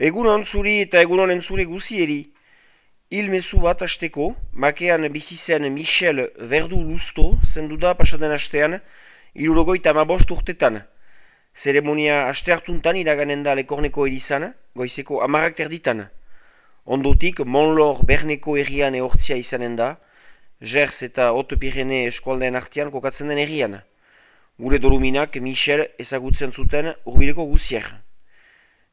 Egunon zuri eta egunon entzule guzieri. Mezu bat hasteko, makean bizi zen Michel Verdu Luzto zendu da pasaden hastean, 75 urtetan. Zeremonia haste hartuntan iraganen da Lekorneko erizan, goizeko 10:00 Ondotik, Monlor Berneko herrian ehortzia izanen da, Gers eta Haute-Pyrénées eskualdeen artean kokatzen den herrian. Gure doluminak Michel ezagutzen zuten hurbileko guzier.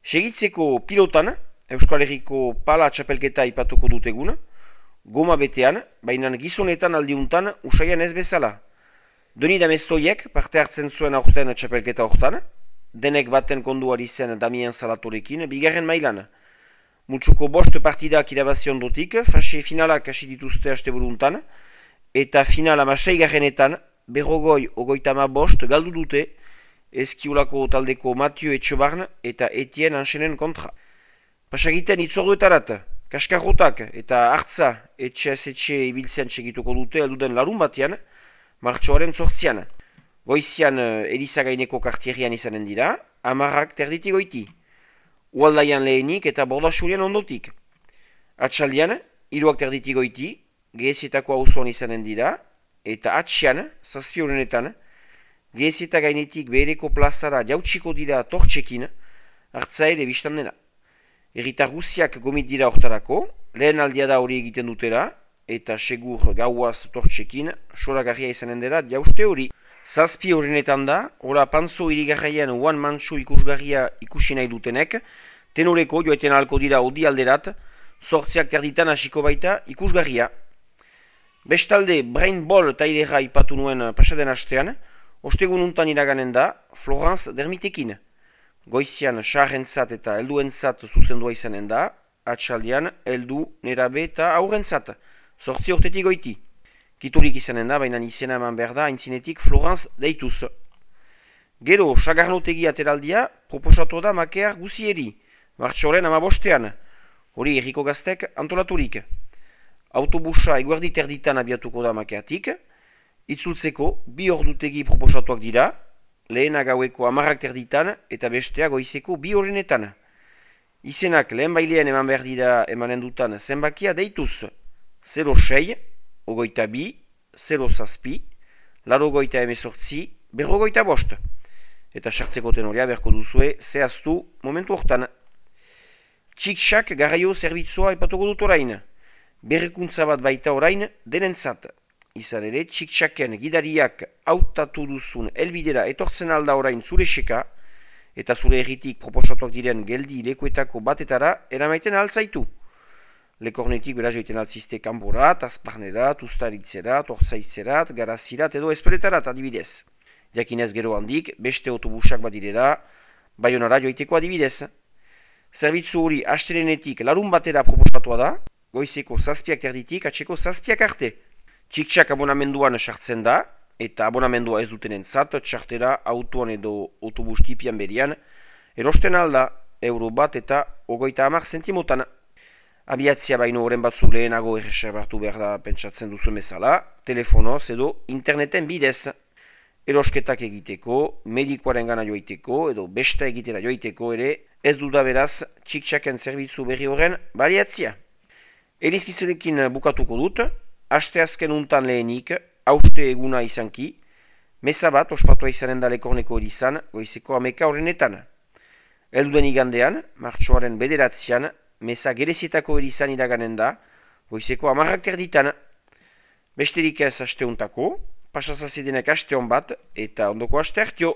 Segitzeko pilotan, Euskal Herriko pala txapelketa ipatuko dutegun, goma betean, baina gizonetan aldiuntan usaian ez bezala. Doni Damestoiek parte hartzen zuen aurten txapelketa hortan, denek baten konduari zen Damien Salatorekin, bigarren mailan. Multsuko bost partidak irabazion dotik, fase finalak hasi dituzte asteburuntan, eta final 6-garrenetan, 50-35 galdu dute, Eskiulako taldeko Mathieu Etxebarn eta Etienne Anxenen kontra. Pasagiten itzorduetarat, kaskarrotak eta hartza etxe ibiltzean txegituko dute elduden larun batean, martxoaren 8. Goizian Elizagaineko kartierian izanen dira, 10:00 goiti. Ualdaian lehenik eta Bordasurian ondotik. Atxaldian, 3:30 goiti, Gehezietako auzoan izanen dira, eta atxian, 7 Gehezieta gainetik behereko plazara jautsiko dira tortxekin, hartza ere biztan dena. Herritar guziak gomit dira hortarako, lehen aldia da hori egiten dutera, eta segur gauaz tortxekin, soragarria izanen dela jauste hori. 7 horrenetan da, hola Pantzo irigarraian uan mantxo ikusgarria ikusi nahi dutenek, tenoreko joeten ahalko dira odi alderat, 8:00 hasiko baita ikusgarria. Bestalde, Brain Ball tailera ipatu nuen pasaden hastean, ostegun untan iraganen da, Florence Dermitekin. Goizian saharrentzat eta helduentzat zuzendua izanen da, atxaldian heldu, nerabe eta aurrentzat, 8 urtetik goiti. Kiturik izanen da, baina izena eman behar da, aintzinetik Florence deituz. Gero, sagarnotegi ateraldia, proposatu da makear guzieri, martxoren 15. Hori herriko gaztek antolaturik. Autobusa eguerdi terditan abiatuko da makeatik, itzultzeko 2 ordutegi proposatuak dira, lehena gaueko 10:30 eta bestea goizeko 2 horrenetan. Izenak lehen bailean eman behar dira emanen dutan zenbakia deituz 06, 22, 07, 88, 45, eta sartzeko tenorea beharko duzue zehaztu momentu hortan. Txik-txak garraio zerbitzua epatuko dut orain, berrikuntza bat baita orain denentzat. Izan ere, txik-txaken gidariak hautatu duzun helbidera etortzen alda orain zure seka, eta zure erritik proposatuak diren geldi lekuetako batetara eramaiten altzaitu. Lekornetik beraz joiten altzizte kanborat, azparnerat, ustaritzerat, ortzaitzerat, garazirat edo esperetarat adibidez. Jakinez gero handik, beste autobusak badirera, Baionara joiteko adibidez. Zerbitzu hori astelenetik larun batera proposatua da, goizeko 7:30 atxeko 7 arte. Txik-txak abonamenduan sartzen da, eta abonamendua ez dutenentzat, txartera autoan edo autobus tipian berian, erosten alda €1 eta 30 zentimotan. Abiatzia baino horren batzuk lehenago erreserbatu behar da pentsatzen duzu bezala, telefonoz edo interneten bidez. Erosketak egiteko, medikoaren gana joiteko edo besta egitera joiteko ere, ez duda beraz txik-txaken zerbitzu berri horren baliatzia. Elizkizurekin bukatuko dut, asteazken untan lehenik, hauste eguna izanki, meza bat ospatua izanen da Lekorneko erizan, goizeko 11 horrenetan. Elduden igandean, martxoaren 9, meza Gerezietako erizan iraganen da, goizeko 10:30. Besterik ez aste untako, pasazazidenek aste hon bat, eta ondoko aste hartio.